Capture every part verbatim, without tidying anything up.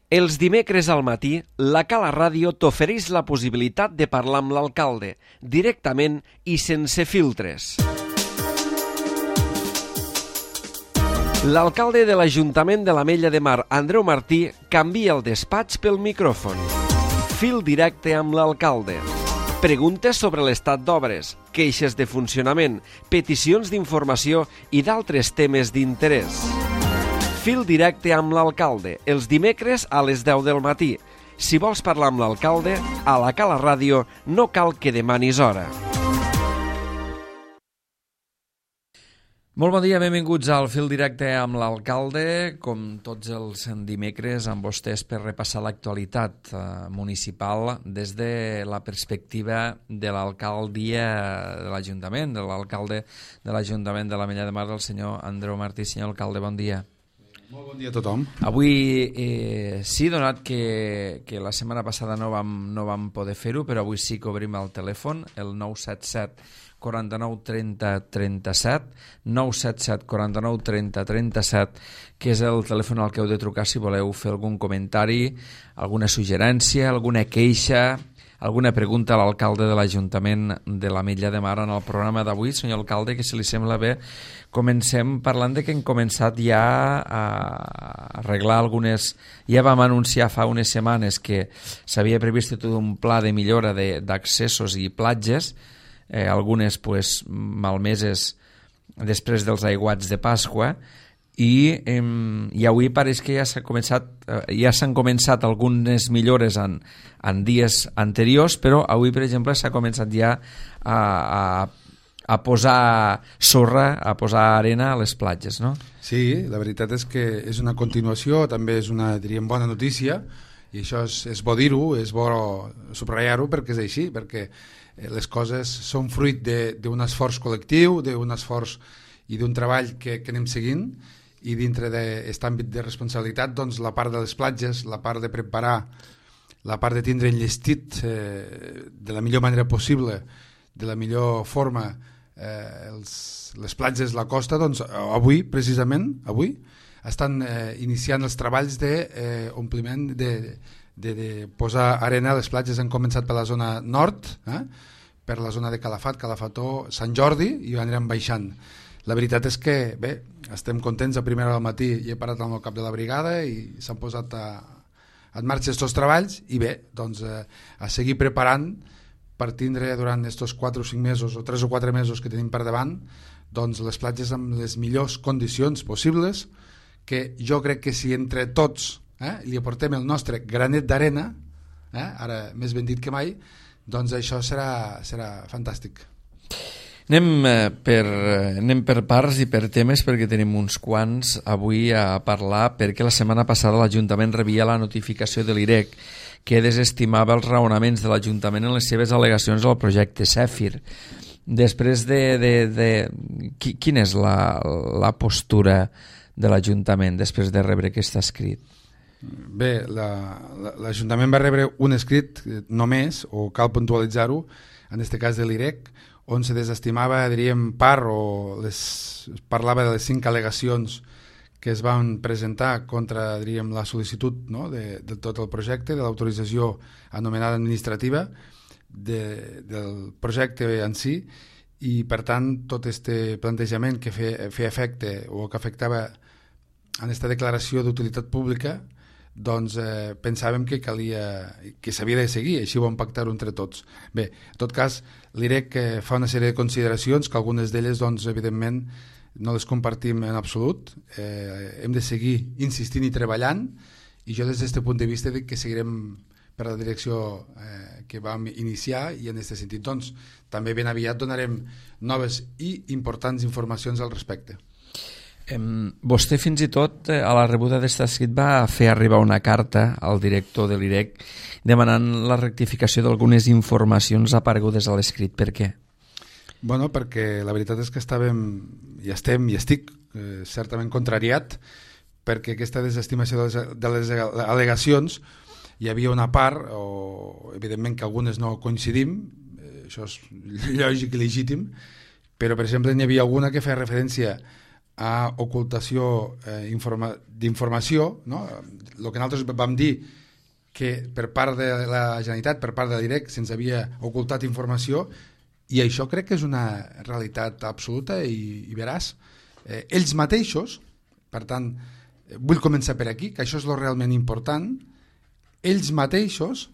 Els dimecres al matí, la Cala Ràdio t'ofereix la possibilitat de parlar amb l'alcalde, directament i sense filtres. L'alcalde de l'Ajuntament de l'Ametlla de Mar, Andreu Martí, canvia el despatx pel micròfon. Fil directe amb l'alcalde. Preguntes sobre l'estat d'obres, queixes de funcionament, peticions d'informació i d'altres temes d'interès. Fil directe amb l'alcalde, els dimecres a les deu del matí. Si vols parlar amb l'alcalde, a la Cala Ràdio no cal que demanis hora. Molt bon dia, benvinguts al Fil directe amb l'alcalde, com tots els dimecres amb vostès per repassar l'actualitat eh, municipal des de la perspectiva de l'alcaldia de l'Ajuntament, de l'alcalde de l'Ajuntament de l'Ametlla de Mar, el senyor Andreu Martí. Senyor alcalde, bon dia. Molt bon dia a tothom. Avui eh, sí, donat que, que la setmana passada no vam, no vam poder fer-ho, però avui sí que obrim el telèfon, el nou set set quaranta-nou trenta trenta-set, nou set set quaranta-nou trenta trenta-set, que és el telèfon al que heu de trucar si voleu fer algun comentari, alguna suggerència, alguna queixa, alguna pregunta a l'alcalde de l'Ajuntament de l'Ametlla de Mar en el programa d'avui. Senyor alcalde, que si li sembla bé, comencem parlant de que hem començat ja a arreglar algunes... Ja vam anunciar fa unes setmanes que s'havia previst tot un pla de millora d'accessos i platges, eh, algunes pues, malmeses després dels aiguats de Pasqua, i, eh, i avui pareix que ja s'ha començat, eh, ja s'han començat algunes millores en, en dies anteriors, però avui, per exemple, s'ha començat ja a, a, a posar sorra, a posar arena a les platges, no? Sí, la veritat és que és una continuació, també és una, diríem, bona notícia, i això és, és bo dir-ho, és bo subratllar-ho perquè és així, perquè les coses són fruit d'un esforç col·lectiu, d'un esforç i d'un treball que, que anem seguint, i dintre d'aquest àmbit de responsabilitat, doncs la part de les platges, la part de preparar, la part de tindre enllestit eh, de la millor manera possible, de la millor forma eh, els, les platges, la costa, doncs avui, precisament, avui, estan eh, iniciant els treballs d'ompliment de, de, de, de posar arena a les platges. Han començat per la zona nord, eh, per la zona de Calafat, Calafató, Sant Jordi, i anirem baixant. La veritat és que, bé, estem contents. A primera hora del matí i he parat amb el cap de la brigada i s'han posat a, en marxa aquests treballs i bé, doncs eh, a seguir preparant per tindre durant aquests quatre o cinc mesos o tres o quatre mesos que tenim per davant, doncs les platges amb les millors condicions possibles, que jo crec que si entre tots eh, li aportem el nostre granet d'arena, eh, ara més ben dit que mai, doncs això serà, serà fantàstic. Anem per, anem per parts i per temes, perquè tenim uns quants avui a parlar, perquè la setmana passada l'Ajuntament rebia la notificació de l'I R E C que desestimava els raonaments de l'Ajuntament en les seves al·legacions al projecte Zèfir. Després de... de, de quina és la, la postura de l'Ajuntament després de rebre aquest escrit? Bé, l'Ajuntament va rebre un escrit només, o cal puntualitzar-ho, en aquest cas de l'I R E C, on se desestimava, diríem, part, o les, parlava de les cinc al·legacions que es van presentar contra, diríem, la sol·licitud, no?, de, de tot el projecte, de l'autorització anomenada administrativa de, del projecte en si, i per tant tot aquest plantejament que feia, feia efecte o que afectava en aquesta declaració d'utilitat pública, doncs eh, pensàvem que calia, que s'havia de seguir, així ho vam pactar-ho entre tots. Bé, en tot cas, l'I R E C eh, fa una sèrie de consideracions que algunes d'elles, doncs, evidentment, no les compartim en absolut. Eh, hem de seguir insistint i treballant, i jo des d'aquest punt de vista dic que seguirem per la direcció eh, que vam iniciar, i en aquest sentit, doncs, també ben aviat donarem noves i importants informacions al respecte. Vostè fins i tot a la rebuda d'aquest escrit va fer arribar una carta al director de l'I R E C demanant la rectificació d'algunes informacions aparegudes a l'escrit. Per què? Bueno, perquè la veritat és que estàvem, i estem, i estic eh, certament contrariat, perquè aquesta desestimació de les, de les al·legacions hi havia una part, o evidentment que algunes no coincidim, eh, això és lògic i legítim, però per exemple n'hi havia alguna que feia referència a ocultació eh, informa d'informació, no? El que nosaltres vam dir que per part de la Generalitat, per part de l'I R E C, se'ns havia ocultat informació, i això crec que és una realitat absoluta i, i veraç. Eh, ells mateixos, per tant, vull començar per aquí, que això és lo realment important, ells mateixos,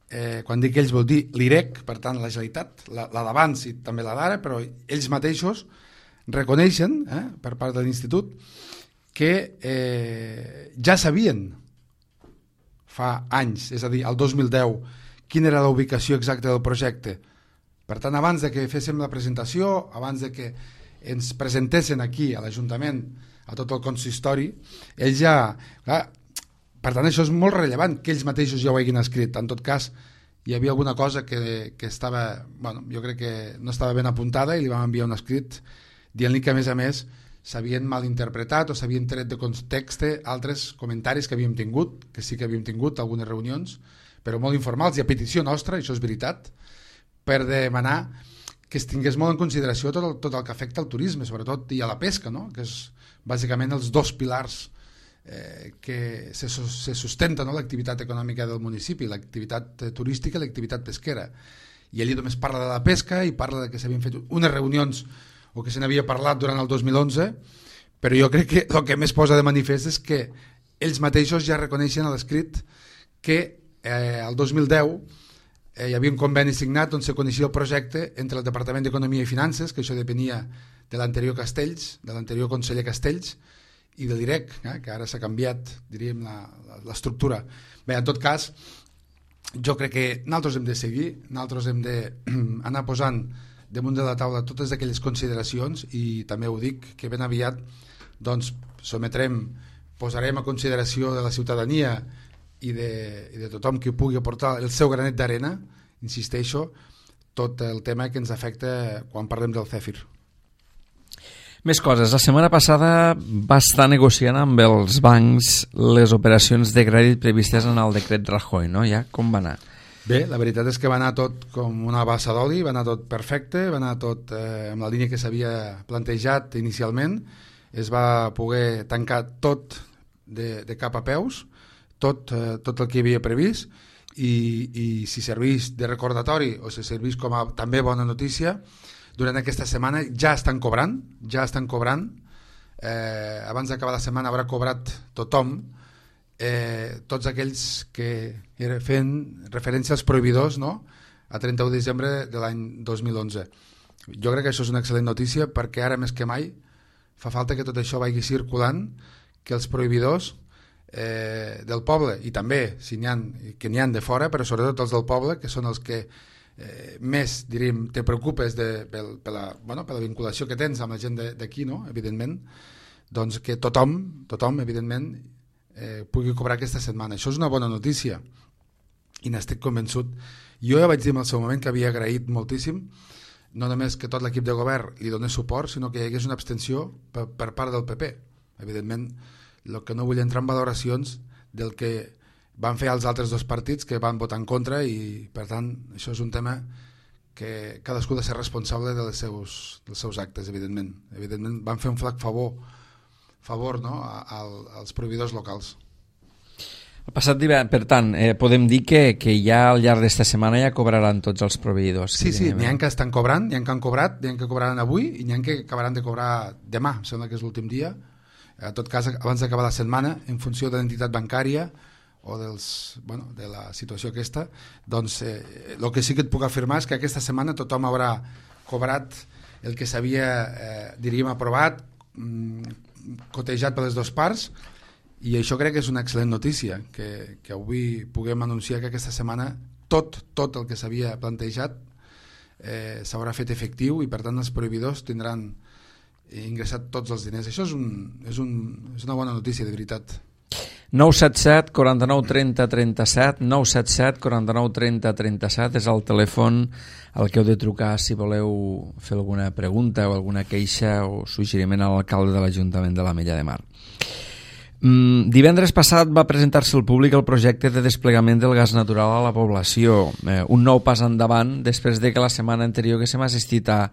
eh, quan dic ells vol dir l'I R E C, per tant la Generalitat, la, la d'abans i també la d'ara, però ells mateixos reconeixen, eh, per part de l'Institut, que eh, ja sabien fa anys, és a dir, el dos mil deu, quina era la ubicació exacta del projecte. Per tant, abans de que féssim la presentació, abans de que ens presentessin aquí a l'Ajuntament, a tot el consistori, ells ja... Clar, per tant, això és molt rellevant, que ells mateixos ja ho hagin escrit. En tot cas, hi havia alguna cosa que, que estava... Bueno, jo crec que no estava ben apuntada i li vam enviar un escrit dient-li que, a més a més, s'havien malinterpretat o s'havien tret de context altres comentaris que havíem tingut, que sí que havíem tingut algunes reunions, però molt informals i a petició nostra, això és veritat, per demanar que es tingués molt en consideració tot el, tot el que afecta al turisme, sobretot, i a la pesca, no? Que és bàsicament els dos pilars eh, que se, se sustenten, no? L'activitat econòmica del municipi, l'activitat turística i l'activitat pesquera. I ell només parla de la pesca i parla de que s'havien fet unes reunions o que se n'havia parlat durant el dos mil onze, però jo crec que el que més posa de manifest és que ells mateixos ja reconeixen a l'escrit que eh, el dos mil deu eh, hi havia un conveni signat on se coneixia el projecte entre el Departament d'Economia i Finances, que això depenia de l'anterior Castells, de l'anterior conseller Castells, i de l'I R E C, eh, que ara s'ha canviat, diríem, l'estructura. Bé, en tot cas, jo crec que nosaltres hem de seguir, nosaltres hem d'anar posant damunt de la taula totes aquelles consideracions i també ho dic que ben aviat doncs sometrem, posarem a consideració de la ciutadania i de, i de tothom que pugui aportar el seu granet d'arena, insisteixo, tot el tema que ens afecta quan parlem del CEFIR. Més coses. La setmana passada va estar negociant amb els bancs les operacions de crèdit previstes en el decret Rajoy, no? Ja com va anar? Bé, la veritat és que va anar tot com una bassa d'oli, va anar tot perfecte, va anar tot eh, amb la línia que s'havia plantejat inicialment, es va poder tancar tot de, de cap a peus, tot, eh, tot el que hi havia previst, i, i si serveix de recordatori o si serveix com a també bona notícia, durant aquesta setmana ja estan cobrant, ja estan cobrant, eh, abans d'acabar la setmana haurà cobrat tothom, eh, tots aquells que feien referència als proveïdors, no? A trenta-u de desembre de l'any dos mil onze. Jo crec que això és una excel·lent notícia perquè ara més que mai fa falta que tot això vagi circulant, que els proveïdors eh, del poble, i també si n'hi ha, que n'hi ha de fora, però sobretot els del poble, que són els que eh, més, diríem, te preocupes de, per, per, la, bueno, per la vinculació que tens amb la gent d'aquí, no? Evidentment, doncs que tothom, tothom, evidentment, eh, pugui cobrar aquesta setmana. Això és una bona notícia i n'estic convençut. Jo ja vaig dir en el seu moment que havia agraït moltíssim no només que tot l'equip de govern li donés suport, sinó que hi hagués una abstenció per, per part del P P. Evidentment, el que no vull entrar en valoracions del que van fer els altres dos partits que van votar en contra i, per tant, això és un tema que cadascú ha de ser responsable dels seus, dels seus actes, evidentment. Evidentment, van fer un flac favor favor no, a, a, als proveïdors locals. El passat divendres, per tant, eh, podem dir que, que ja al llarg d'esta setmana ja cobraran tots els proveïdors. Sí, sí, n'hi ha que estan cobrant, n'hi ha que han cobrat, n'hi ha que cobraran avui i n'hi ha que acabaran de cobrar demà, em sembla que és l'últim dia. En tot cas, abans d'acabar la setmana, en funció de l'entitat bancària o dels, bueno, de la situació aquesta, doncs eh, el que sí que et puc afirmar és que aquesta setmana tothom haurà cobrat el que s'havia, eh, diríem, aprovat, mm, cotejat per les dues parts, i això crec que és una excel·lent notícia, que, que avui puguem anunciar que aquesta setmana tot, tot el que s'havia plantejat eh, s'haurà fet efectiu i per tant els proveïdors tindran ingressat tots els diners. Això és, un, és, un, és una bona notícia, de veritat. nou set set, quaranta-nou, trenta, trenta-set, nou set set, quaranta-nou, trenta, trenta-set és el telèfon al que heu de trucar si voleu fer alguna pregunta o alguna queixa o suggeriment a l'alcalde de l'Ajuntament de l'Ametlla de Mar. Mm, divendres passat va presentar-se al públic el projecte de desplegament del gas natural a la població, eh, un nou pas endavant després de que la setmana anterior que s'hem assistit a,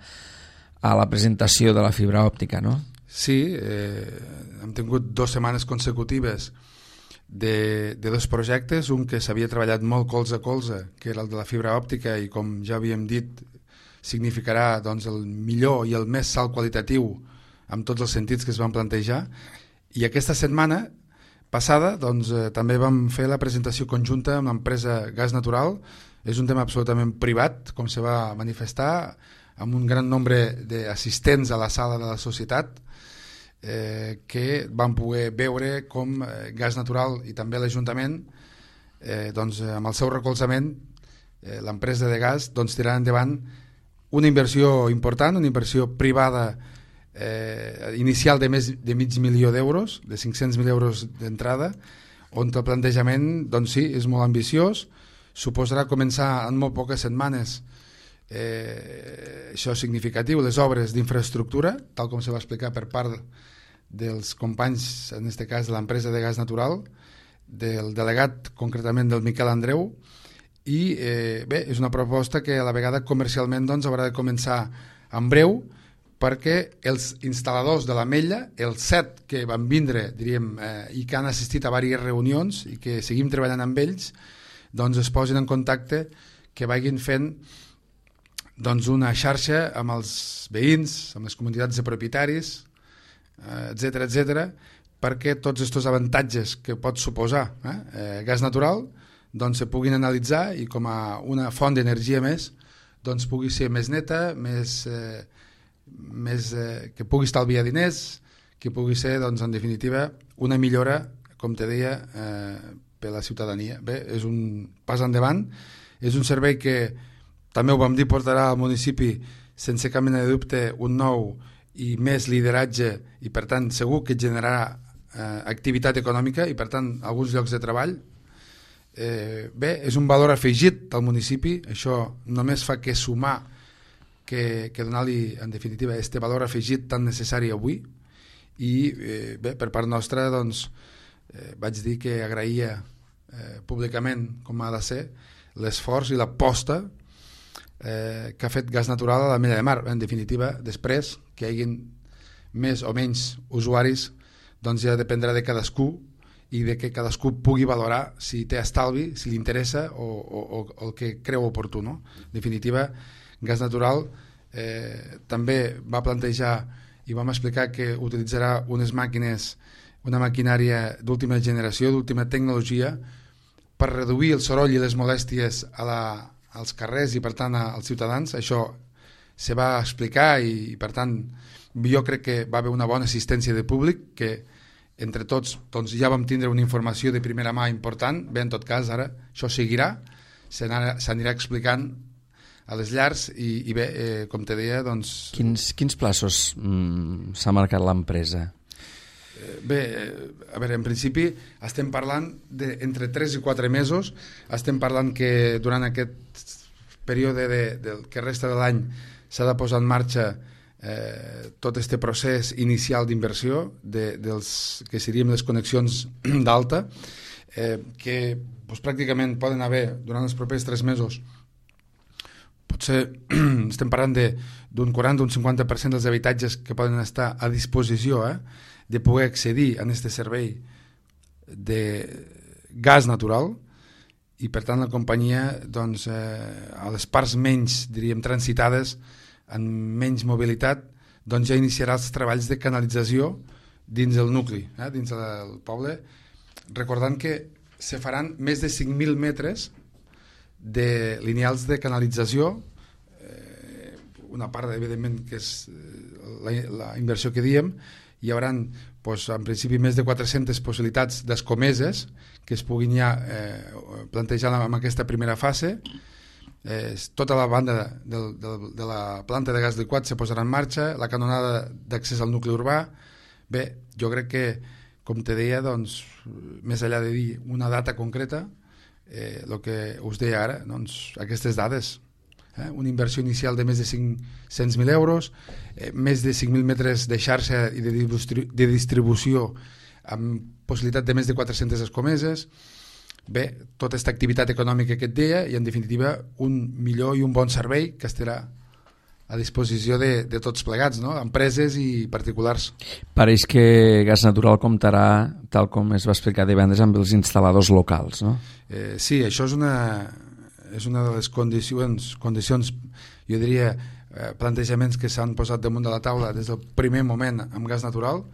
a la presentació de la fibra òptica, no? Sí, eh, hem tingut dues setmanes consecutives de, de dos projectes, un que s'havia treballat molt colze a colze, que era el de la fibra òptica, i com ja havíem dit significarà doncs, el millor i el més salt qualitatiu amb tots els sentits que es van plantejar. I aquesta setmana passada doncs, eh, també vam fer la presentació conjunta amb l'empresa Gas Natural. És un tema absolutament privat, com se va manifestar, amb un gran nombre d'assistents a la sala de la societat, eh, que van poder veure com eh, Gas Natural i també l'Ajuntament, eh, doncs, amb el seu recolzament, eh, l'empresa de gas doncs, tirarà endavant una inversió important, una inversió privada eh, inicial de més de mig milió d'euros, de cinc-cents mil euros d'entrada, on el plantejament doncs, sí, és molt ambiciós, suposarà començar en molt poques setmanes. Eh, això és significatiu, les obres d'infraestructura, tal com se va explicar per part dels companys, en aquest cas de l'empresa de gas natural, del delegat concretament del Miquel Andreu, i eh, bé, és una proposta que a la vegada comercialment doncs, haurà de començar en breu, perquè els instal·ladors de l'Ametlla, els set que van vindre, diríem, eh, i que han assistit a diverses reunions i que seguim treballant amb ells, doncs es posin en contacte, que vagin fent doncs una xarxa amb els veïns, amb les comunitats de propietaris, etcètera, etcètera, perquè tots aquests avantatges que pot suposar eh, eh, gas natural doncs se puguin analitzar i com a una font d'energia més doncs pugui ser més neta, més, eh, més eh, que pugui estalviar diners, que pugui ser doncs, en definitiva una millora, com te deia, eh, per la ciutadania. Bé, és un pas endavant, és un servei que també ho vam dir, portarà al municipi sense cap mena de dubte un nou i més lideratge i per tant segur que generarà eh, activitat econòmica i per tant alguns llocs de treball. Eh, bé, és un valor afegit al municipi, això només fa que sumar, que, que donar-li en definitiva este valor afegit tan necessari avui i eh, bé, per part nostra doncs, eh, vaig dir que agraïa eh, públicament com ha de ser l'esforç i l'aposta Eh, que ha fet Gas Natural a l'Ametlla de Mar. En definitiva, després que hi hagi més o menys usuaris doncs ja dependrà de cadascú i de que cadascú pugui valorar si té estalvi, si li interessa o, o, o el que creu oportú, no? En definitiva, Gas Natural eh, també va plantejar i vam explicar que utilitzarà unes màquines, una maquinària d'última generació, d'última tecnologia, per reduir el soroll i les molèsties a la als carrers i per tant als ciutadans. Això se va explicar i per tant jo crec que va haver una bona assistència de públic, que entre tots doncs, ja vam tindre una informació de primera mà important. Bé, en tot cas ara això seguirà, s'anirà explicant a les llars i, i bé, eh, com te deia doncs... Quins, quins plaços mm, s'ha marcat l'empresa? Bé, a veure, en principi estem parlant d'entre tres i quatre mesos, estem parlant que durant aquest període de, de, que resta de l'any s'ha de posar en marxa eh, tot este procés inicial d'inversió de, dels que serien les connexions d'alta, eh, que doncs, pràcticament poden haver durant els propers tres mesos. Potser estem parlant d'un quaranta o un cinquanta per cent dels habitatges que poden estar a disposició eh, de poder accedir a aquest servei de gas natural i per tant la companyia doncs, eh, a les parts menys diríem transitades amb menys mobilitat doncs ja iniciarà els treballs de canalització dins el nucli, eh, dins del poble, recordant que se faran més de cinc mil metres de lineals de canalització, eh, una part evidentment que és la, la inversió que diem. Hi haurà doncs, en principi més de quatre-centes possibilitats d'escomeses que es puguin ja eh, plantejar en aquesta primera fase. Eh, tota la banda de, de, de la planta de gas liquat se posarà en marxa, la canonada d'accés al nucli urbà. Bé, jo crec que, com te deia, doncs, més enllà de dir una data concreta, eh, el que us deia ara, doncs, aquestes dades, eh, una inversió inicial de més de cinc-cents mil euros, eh, més de cinc mil metres de xarxa i de, distri de distribució amb possibilitat de més de quatre-centes escomeses. Bé, tota aquesta activitat econòmica que et deia i en definitiva un millor i un bon servei que estarà a disposició de, de tots plegats, no? Empreses i particulars. Pareix que Gas Natural comptarà, tal com es va explicar divendres, amb els instal·ladors locals, no? Eh, sí, això és una, és una de les condicions, condicions jo diria, eh, plantejaments que s'han posat damunt de la taula des del primer moment amb Gas Natural.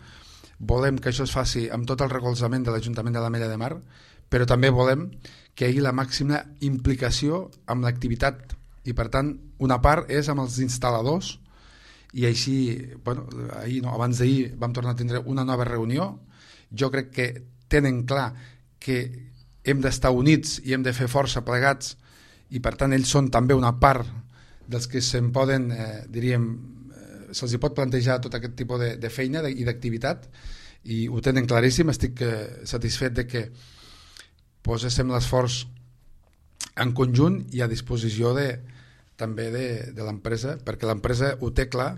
Volem que això es faci amb tot el recolzament de l'Ajuntament de l'Ametlla de Mar, però també volem que hi hagi la màxima implicació amb l'activitat, i per tant una part és amb els instal·ladors, i així, bueno, ahir, no, abans d'ahir vam tornar a tindre una nova reunió. Jo crec que tenen clar que hem d'estar units i hem de fer força plegats, i per tant ells són també una part dels que se'n poden, eh, diríem, eh, se'ls hi pot plantejar tot aquest tipus de, de feina de, i d'activitat, i ho tenen claríssim. Estic eh, satisfet de que poséssim l'esforç en conjunt i a disposició de, també de, de l'empresa, perquè l'empresa ho té clar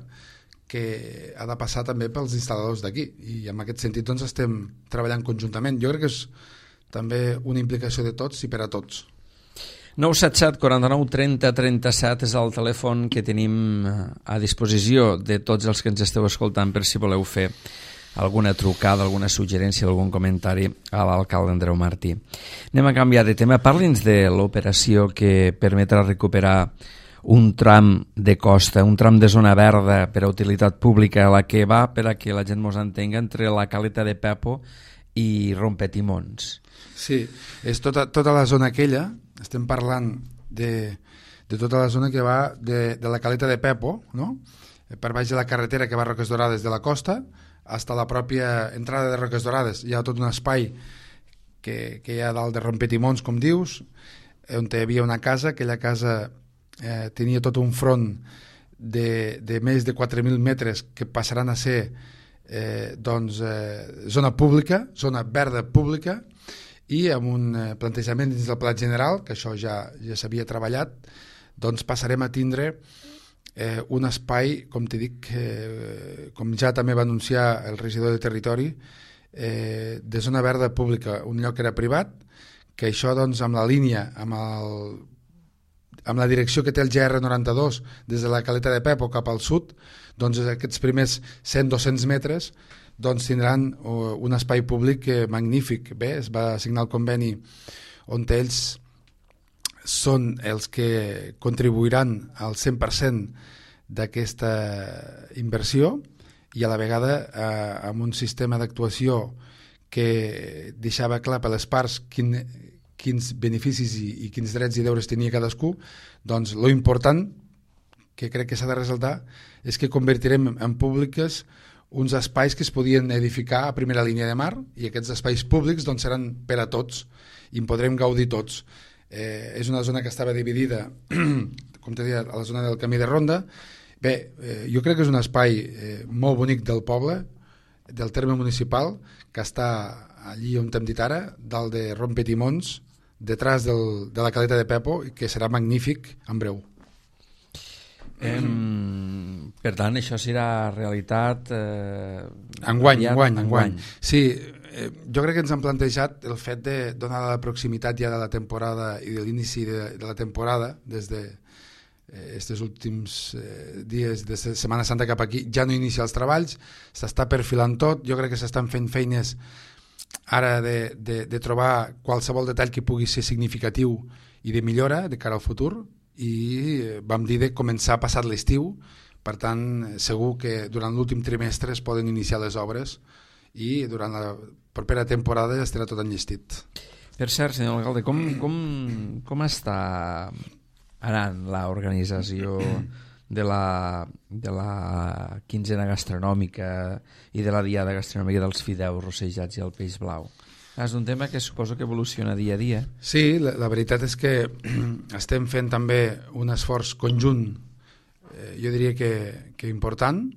que ha de passar també pels instal·ladors d'aquí, i en aquest sentit doncs estem treballant conjuntament. Jo crec que és també una implicació de tots i per a tots. nou set set, quaranta-nou, trenta, trenta-set és el telèfon que tenim a disposició de tots els que ens esteu escoltant per si voleu fer alguna trucada, alguna suggerència, algun comentari a l'alcalde Andreu Martí. Anem a canviar de tema. Parli'ns de l'operació que permetrà recuperar un tram de costa, un tram de zona verda per a utilitat pública, la que va, per a que la gent mos entenga, entre la Caleta de Pepo i Rompetimons. Sí, és tota, tota la zona aquella, estem parlant de, de tota la zona que va de, de la Caleta de Pepo, no? Per baix de la carretera que va a Roques Dorades de la costa, fins a la pròpia entrada de Roques Dorades. Hi ha tot un espai que, que hi ha dalt de Rompetimons, com dius, on hi havia una casa. Aquella casa eh, tenia tot un front de, de més de quatre mil metres que passaran a ser eh, doncs, eh, zona pública, zona verda pública, i amb un eh, plantejament dins del pla general, que això ja, ja s'havia treballat, doncs passarem a tindre Eh, un espai, com t'he dit, eh, com ja també va anunciar el regidor de territori, eh, de zona verda pública, un lloc que era privat, que això doncs amb la línia, amb, el, amb la direcció que té el G R noranta-dos des de la Caleta de Pepo cap al sud, doncs aquests primers cent a dos-cents metres doncs tindran uh, un espai públic eh, magnífic. Bé, es va signar el conveni on ells són els que contribuiran al cent per cent d'aquesta inversió, i a la vegada eh, amb un sistema d'actuació que deixava clar per les parts quin, quins beneficis i, i quins drets i deures tenia cadascú. Doncs lo important que crec que s'ha de ressaltar és que convertirem en públiques uns espais que es podien edificar a primera línia de mar, i aquests espais públics doncs seran per a tots i en podrem gaudir tots. Eh, és una zona que estava dividida, com t'he dit, a la zona del camí de ronda. Bé, eh, jo crec que és un espai eh, molt bonic del poble, del terme municipal, que està allí on t'hem dit ara, dalt de Rompetimons, detrás del, de la Caleta de Pepo, i que serà magnífic en breu. Eh, per tant, això serà realitat eh, enguany, enguany, enguany. Sí, Eh, jo crec que ens han plantejat el fet de donar la proximitat ja de la temporada i de l'inici de, de la temporada, des de aquests eh, últims eh, dies de Setmana Santa cap aquí, ja no inicia els treballs, s'està perfilant tot. Jo crec que s'estan fent feines ara de, de, de trobar qualsevol detall que pugui ser significatiu i de millora de cara al futur, i eh, vam dir de començar passat l'estiu. Per tant, segur que durant l'últim trimestre es poden iniciar les obres, i durant la propera temporada ja estarà tot enllestit. Per cert, senyor alcalde, com, com, com està anant l'organització de la, de la quinzena gastronòmica i de la diada gastronòmica dels fideus rossejats i el peix blau? És un tema que suposo que evoluciona dia a dia. Sí, la, la veritat és que estem fent també un esforç conjunt, eh, jo diria que, que important.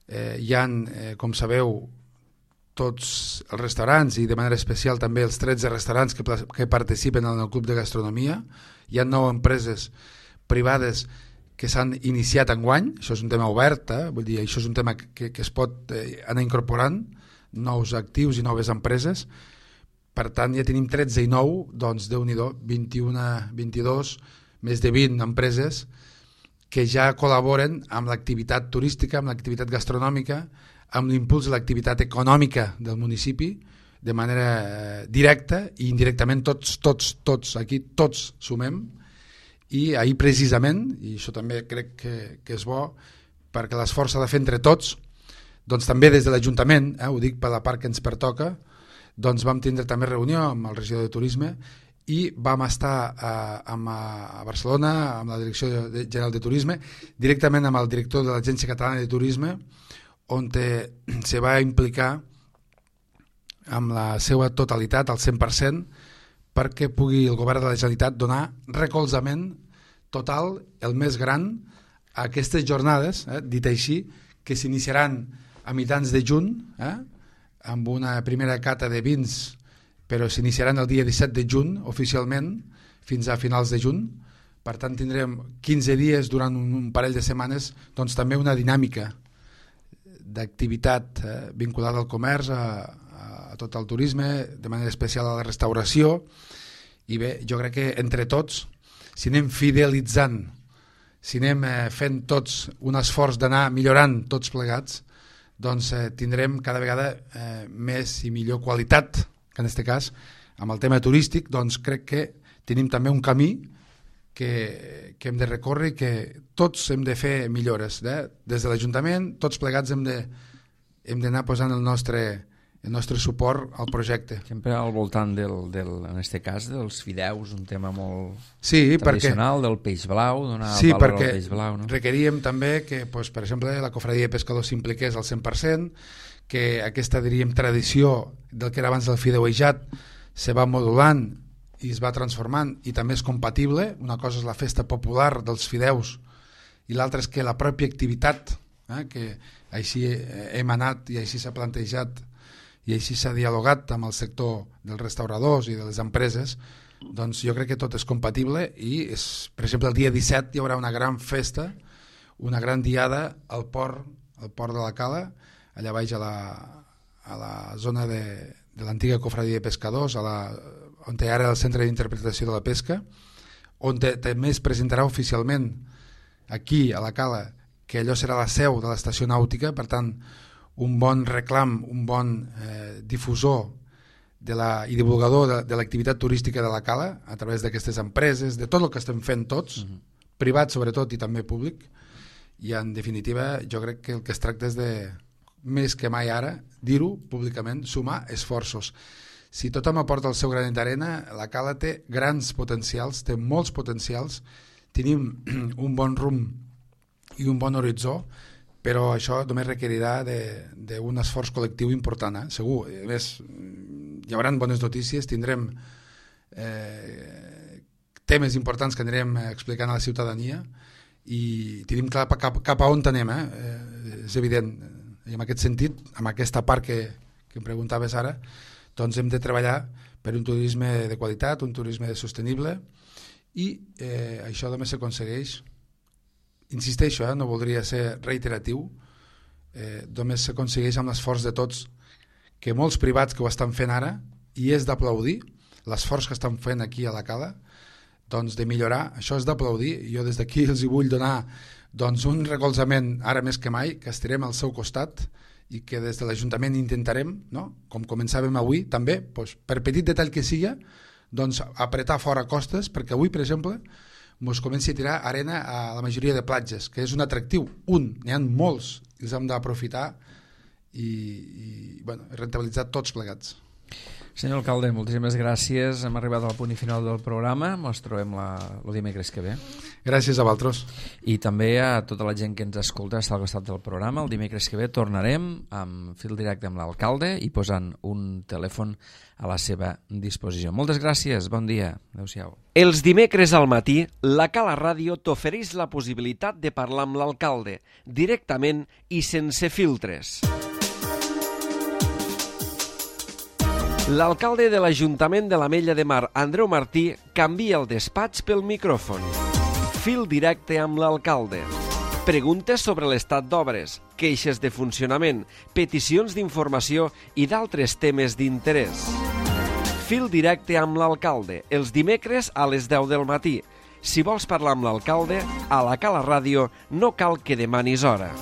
Eh, hi ha, eh, com sabeu, tots els restaurants, i de manera especial també els tretze restaurants que, que participen en el Club de Gastronomia. Hi ha nou empreses privades que s'han iniciat enguany. Això és un tema obert, eh? Vull dir, això és un tema que, que es pot eh, anar incorporant, nous actius i noves empreses. Per tant, ja tenim tretze i nou, doncs Déu-n'hi-do, vint-i-u, vint-i-dos, més de vint empreses que ja col·laboren amb l'activitat turística, amb l'activitat gastronòmica, amb l'impuls de l'activitat econòmica del municipi, de manera eh, directa i indirectament tots, tots, tots, aquí tots sumem, i ahir precisament, i això també crec que, que és bo, perquè l'esforç s'ha de fer entre tots, doncs també des de l'Ajuntament, eh, ho dic per la part que ens pertoca, doncs vam tindre també reunió amb el regidor de Turisme i vam estar eh, amb, a Barcelona, amb la Direcció General de Turisme, directament amb el director de l'Agència Catalana de Turisme, on te, se va implicar amb la seva totalitat, al cent per cent, perquè pugui el govern de la Generalitat donar recolzament total, el més gran, a aquestes jornades, eh, dit així, que s'iniciaran a mitjans de juny, eh, amb una primera cata de vins, però s'iniciaran el dia disset de juny oficialment fins a finals de juny. Per tant tindrem quinze dies durant un, un parell de setmanes, doncs també una dinàmica d'activitat eh, vinculada al comerç, a, a tot el turisme, de manera especial a la restauració, i bé, jo crec que entre tots, si anem fidelitzant, si anem eh, fent tots un esforç d'anar millorant tots plegats, doncs eh, tindrem cada vegada eh, més i millor qualitat, que en aquest cas, amb el tema turístic, doncs crec que tenim també un camí que, que hem de recórrer i que tots hem de fer millores. Eh? Des de l'Ajuntament, tots plegats hem de, hem d'anar posant el nostre, el nostre suport al projecte. Sempre al voltant, del, del, en aquest cas, dels fideus, un tema molt sí, tradicional, perquè, del peix blau, donar sí, valor al perquè peix blau. No? Requeríem també que, pues, per exemple, la cofradia de pescadors s'impliqués al cent per cent, que aquesta, diríem, tradició del que era abans del fideuejat se va modulant i es va transformant i també és compatible. Una cosa és la festa popular dels fideus i l'altra és que la pròpia activitat, eh, que així hem anat i així s'ha plantejat i així s'ha dialogat amb el sector dels restauradors i de les empreses, doncs jo crec que tot és compatible i, és, per exemple, el dia disset hi haurà una gran festa, una gran diada al port, al port de la Cala, allà baix a la, a la zona de, de l'antiga cofradia de pescadors, a la, on hi ha ara el centre d'interpretació de la pesca, on te, també es presentarà oficialment aquí a la Cala que allò serà la seu de l'estació nàutica, per tant un bon reclam, un bon eh, difusor de la, i divulgador de, de l'activitat turística de la Cala a través d'aquestes empreses, de tot el que estem fent tots, uh-huh. privat sobretot i també públic, i en definitiva jo crec que el que es tracta és de, més que mai ara, dir-ho públicament, sumar esforços. Si tothom aporta el seu granet d'arena, la Cala té grans potencials, té molts potencials, tenim un bon rumb i un bon horitzó, però això només requerirà d'un esforç col·lectiu important, eh? Segur. A més, hi haurà bones notícies, tindrem eh, temes importants que anirem explicant a la ciutadania i tenim clar cap, cap a on anem, eh? Eh, és evident. I en aquest sentit, amb aquesta part que, que em preguntaves ara, doncs hem de treballar per un turisme de qualitat, un turisme sostenible i eh, això només s'aconsegueix, insisteixo, eh, no voldria ser reiteratiu, eh, només s'aconsegueix amb l'esforç de tots, que molts privats que ho estan fent ara, i és d'aplaudir l'esforç que estan fent aquí a la Cala, doncs de millorar, això és d'aplaudir. Jo des d'aquí els hi vull donar doncs, un recolzament ara més que mai, que estirem al seu costat i que des de l'Ajuntament intentarem, no? Com començàvem avui també, doncs, per petit detall que sigui, doncs, apretar fora costes, perquè avui, per exemple, ens comenci a tirar arena a la majoria de platges, que és un atractiu, un, n'hi ha molts, i els hem d'aprofitar i, i bueno, rentabilitzar tots plegats. Senyor alcalde, moltíssimes gràcies. Hem arribat al punt i final del programa. Ens trobem la, el dimecres que ve. Gràcies a vosaltres. I també a tota la gent que ens escolta està al costat del programa. El dimecres que ve tornarem amb fil directe amb l'alcalde i posant un telèfon a la seva disposició. Moltes gràcies, bon dia. Adéu-siau. Els dimecres al matí, la Cala Ràdio t'ofereix la possibilitat de parlar amb l'alcalde, directament i sense filtres. L'alcalde de l'Ajuntament de l'Ametlla de Mar, Andreu Martí, canvia el despatx pel micròfon. Fil directe amb l'alcalde. Preguntes sobre l'estat d'obres, queixes de funcionament, peticions d'informació i d'altres temes d'interès. Fil directe amb l'alcalde, els dimecres a les deu del matí. Si vols parlar amb l'alcalde, a la Cala Ràdio no cal que demanis hora.